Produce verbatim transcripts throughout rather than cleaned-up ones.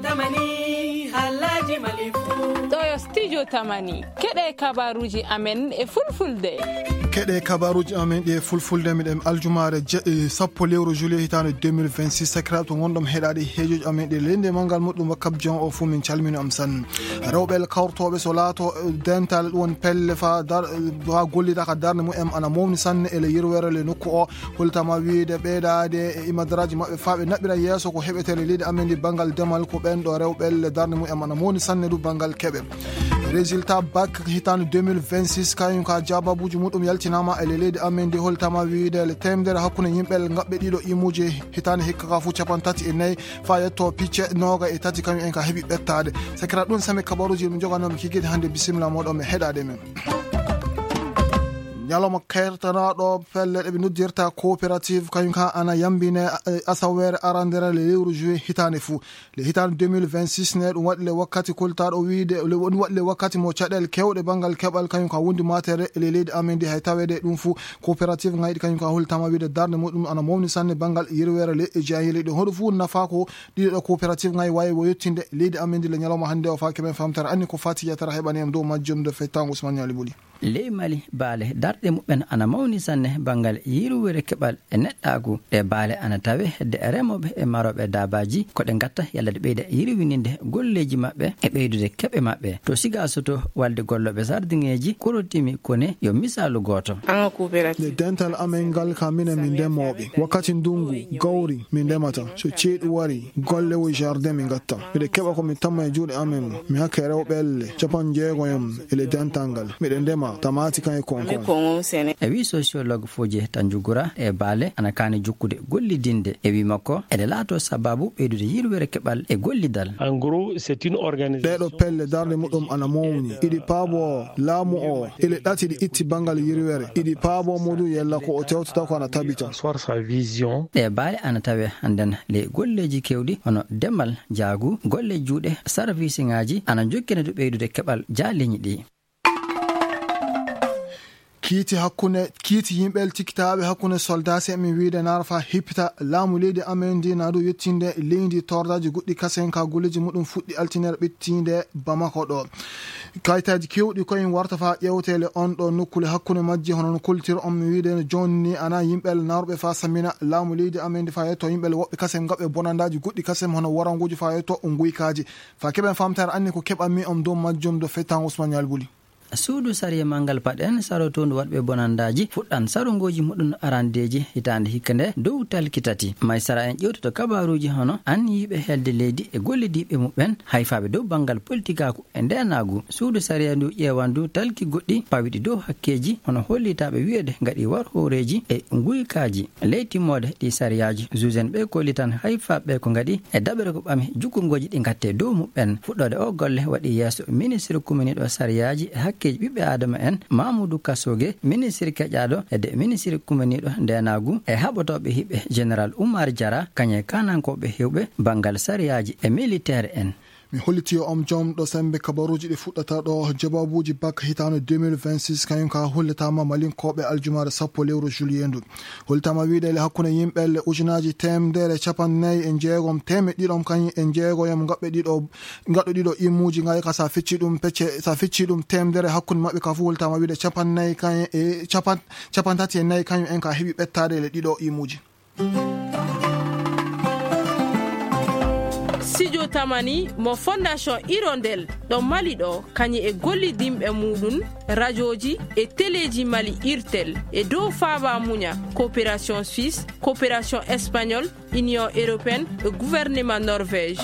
Tamani, halaji malifu. Ɗo yo studio Tamani. Keɗe kabaruji amen e fulfulde. Keɗe kabaruji amen ɗi e fulfulde, miɗen aljumaare je-, eh, sappo lewru juillet hitaande deux mille vingt-six. Sakiraaɓe, to ngonɗon heɗaade heejoji amen ɗi leydi e manngal muɗum, wakkati jon o fuu min calmini on sanne. Rewɓe kawrotooɓe so laato, eh, dental ɗum woni pelle faa dar-, eh, faa gollida ka darnde mumen ana mawni sanne e le yirwere le nokku o. Holtama wiide ɓeydaade e imadaraaji maɓɓe faa ɓe naɓira yeeso ko heɓetee e leydi amen ndi banngal demal, ko ɓen ɗo rewɓe le darnde mumen ana mawni sanne du banngal keɓe. Résultat bac hitaande deux mille vingt-six, kañum ka jaababuuji muɗum yaltinaama e le leydi amen ndi. Holtama wiide le teemedere hakkunde yimɓe ngaɓɓe ɗiɗo imuuji hitaande hikka ka fuu capanɗe tati e nayi faa yetto picce nooga e tati kañum en ka heɓi ɓettaade. Sakira ɗum sami kabaruuji ɗum joganoomi kikide hannde. Bisimilla mooɗon e heɗaade men. Ñalawma kertanaaɗo pelle ɗe ɓe noddirta coopérative, kañum ka ana yambine, eh, asaweere arandere le lewru juillet hitaande fuu. Le hitaande deux mille vingt-six ne, ɗum waɗi le wakkati koltaaɗo wiide, le, ɗum waɗi le wakkati mo caɗeele keewɗe banngal keɓal, kañum ka wondi maatere e le leydi amen ndi, hay taweede ɗum fuu coopérative ngayɗi, kañum ka holtama wiide darnde muɗum ana mawni sanne banngal yirwere le e jayiri ɗum. Hoɗo fuu nafa ko ɗiɗo ɗo coopérative ngayi waawi wo yettinde leydi amen ndi le ñalawma hannde o faa keɓen famtare anni ko fati yatara heɓani en dow majjum de fettango Ousmane Ñaali Buli. Ley Mali, baale darɗe muɓɓen ana mawni sanne banngal yirwere keɓal e neɗɗaagu. Ɗe baale ana tawe hedde remooɓe e marooɓe daabaaji ko ɗe ngatta yalla ɗe ɓeyda yirwininde golleeji maɓɓe e ɓeydude keɓe maɓɓe. To Siga Soto, walde gollooɓe sardiŋeeji korotimi ko ne yo misaalu gooto. An ko coopérative. Nde dental amen ngal ka minen min ndemooɓe. Wakkati ndungu, gawri, min ndemata. So ceeɗu wari, golle wo jardin min ngatta. Miɗo keɓa ko mi tamma e juuɗe amen. Mi hakke rewɓe elle, capanɗe jeego yam, e le dental ngal. Miɗo ndema, tamaati kan e konkon. E wi sociologue Fodje Tanjugura, e baale ana kaani jokkude gollidinde. E wi makko, eɗe laato sababu ɓeydude yirwere keɓal e gollidal. En gros, c'est une organisation. Ɗeɗo pelle darnde muɗum ana mawni. Iɗi paabo laamu o, ele ɗati ɗi itti bangal yirwere. Iɗi paabo muɗum yella ko o tewtata ko ana tabita. Asseoir sa vision. Ɗe baale ana tawe hannden ley golleeji kewɗi hono demal, jaagu, golle juuɗe, sarfiisiŋaaji ana jokkina du ɓeydude keɓal jaaliiñi ɗi. Kiiti hakkunde, kiiti yimɓe tikkitaaɓe hakkunde soldaase, mi wiide naara faa hippita laamu leydi amen ndi, na du yettinde leydi tordaaji goɗɗi kasen ka golleeji muɗum fuɗɗi altinere ɓittiinde Bamako ɗo. Kayitaaji keewɗi koyen warta faa ƴeewteele on ɗo nokkule hakkunde majji, hono no koltir on mi wiide no jooni ni ana yimɓe naarɓe faa samina laamu leydi amen ndi faa yetto yimɓe woɓɓe kasen ngaɓe bonandaaji goɗɗi kasen hono waranguuji faa yetto nguykaaji. Faa keɓen famtare anni ko keɓanmi on dow majjum do fettan Ousmane Ñaali Buli. Suudu sariya manngal paɗen sarotoondu waɗɓe bonandaaji fuɗɗan sarungooji muɗum arandeeji hitaande hikka nde dow talki tati. May sara en ƴewtoto kabaaruuji hono anniyiiɓe helde leydi e gollidiiɓe muɓɓen hayfaaɓe dow banngal politikaaku e ndeenaagu. Suudu sariya ndu ƴeewan du talki goɗɗi pawiɗi dow hakkeeji hono hollitaaɓe wiyeede ngaɗi war hooreeji e nguykaaji. Ley timmoode ɗi sariyaaji, juuzen ɓe kollitan hayfaaɓe ko ngaɗi e daɓere ko ɓami jukkungooji ɗi ngatte dow muɓɓen. Fuɗɗoode o golle waɗi yeeso ministre kuminiiɗo sariyaaji e hakkeeji ɓiɓɓe aadama en, Mamoudou Kassogé, ministre keƴaaɗo, e de ministre kuminiiɗo ndeenaagu e haɓotooɓe hiɓɓe, général Oumar Diarra, kañe kaanankooɓe hewɓe banngal sariyaaji e militeer en. Mi holliti on jom ɗo sembe kabaruuji ɗi fuɗɗata ɗo, jabaabuuji bak hitaande deux mille vingt-six, kañum ka hollitaama Malinkooɓe aljumaare sappo lewru juillet ndu. Hollitaama wiide le hakkunde yimɓe le ujunaaji teemedere capanɗe nayi e jeegom, teemeɗɗe ɗiɗom kañum e jeegoyam ngaɓɓe ɗiɗo, ngaɗɗo ɗiɗo imuuji ngayi ka sa fecci ɗum pecce, sa fecci ɗum teemedere hakkunde maɓɓe ka fof hollitaama wiide capanɗe nayi kañum e capan-, capanɗe tati e nayi kañum en ka heɓi ɓettaade le ɗiɗo imuuji. Studio Tamani mo Fondation Hirondelle ɗo Mali ɗo, kañum e gollidinɓe muɗum, rajooji e teleeji Mali, Irtel, e dow faaba muña, Coopération Suisse, Coopération Espagnole, Union Européenne e gouvernement Norvège.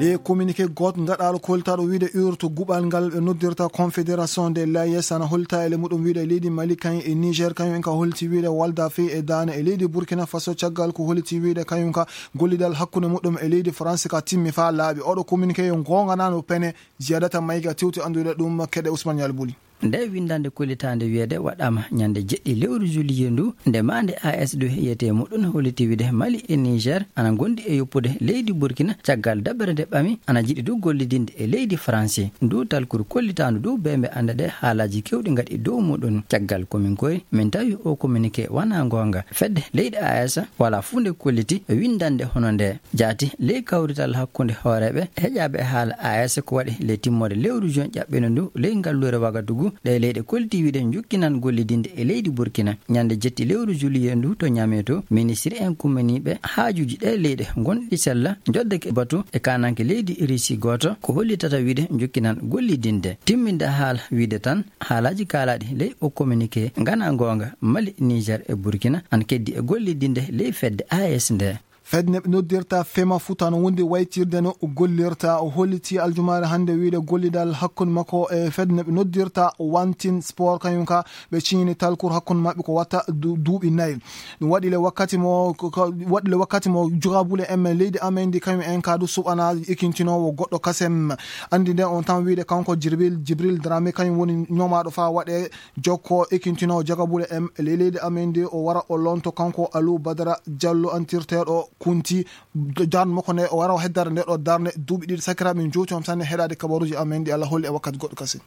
Le communiqué gooto ngaɗaaɗo koltaaɗo wiide urto guɓal ngal ɓe noddirta Confédération de l'A E S ana holta e le muɗum wiide leydi Mali kañum e Niger kañum en ka holti wiide walda fey e daane e leydi Burkina Faso caggal ko holti wiide kañum ka gollidal hakkunde muɗum e leydi France ka timmi faa laaɓi. Oɗo communiqué yo goonganano pene. Ziyadata Mayga tewti anndude ɗum keɗe Ousmane Yali Buli. Nde winndannde kollitaande wiyeede waɗaama ñande jeɗɗi lewru juillet ndu, nde maande A S ɗo yiyetee muɗum holliti wiide Mali e Niger ana ngondi e yoppude leydi Burkina caggal daɓere nde ɓami ana jiɗi du gollidinde e leydi Faransi. Ndu talkuru kollitaandu du bee mbe annda ɗe haalaaji kewɗi ngaɗi dow muɗum. Caggal ko min koy min tawi o communiqué wana ngoonga. Fedde leydi A S wala fuu nde kolliti winndannde hono nde. Jaati ley kawrital hakkunde hooreeɓe heƴaaɓe e haala A S ko waɗi ley timmoode lewru juin ƴaɓɓino ndu ley ngalluure Wagadugu, ɗe leyɗe kolliti wiide njukkinan gollidinde e leydi Burkina. Ñande jetti lewru juillet ndu to Ñame to, ministri en kummaniiɓe haajuuji ɗe leyɗe gonɗi sella njoddake batu e kananke leydi Russie gooto ko hollitata wiide njukkinan gollidinde. Timminde haala wiide tan haalaaji kaalaaɗi ley o communiqué ngana ngoonga, Mali, Niger e Burkina an keddi e gollidinde ley fedde A S nde. Fedde no ɓe noddirta Fema Futa no wondi waytirde no gollirta. O holliti aljumaare hannde wiide gollidal hakkunde makko e fedde no ɓe noddirta Wantin Sport, kañum ka ɓe ciñini talkur hakkunde maɓɓe ko watta du-, duuɓi nayi. Ɗum waɗi le wakkati mo, ko, ko, waɗi le wakkati mo jogabule en men leydi amen ndi, kañum en ka du suɓana ekintinoowo goɗɗo kasem. Anndi nden on tan wiide kanko Jibril, Jibril Dramé, kañum woni ñoomaaɗo faa waɗe jokko ekintinoowo jogabule en ley leydi amen ndi, o wara o lonto kanko Alou Badara Diallo antirteeɗo Kunti. Darnde makko nde o wara o heddare nde ɗo darnde duuɓi ɗiɗi. Sakiraaɓe, min jowti on tan e heɗaade kabaruuji amen ɗi Allah holli e wakkati goɗɗo kasi.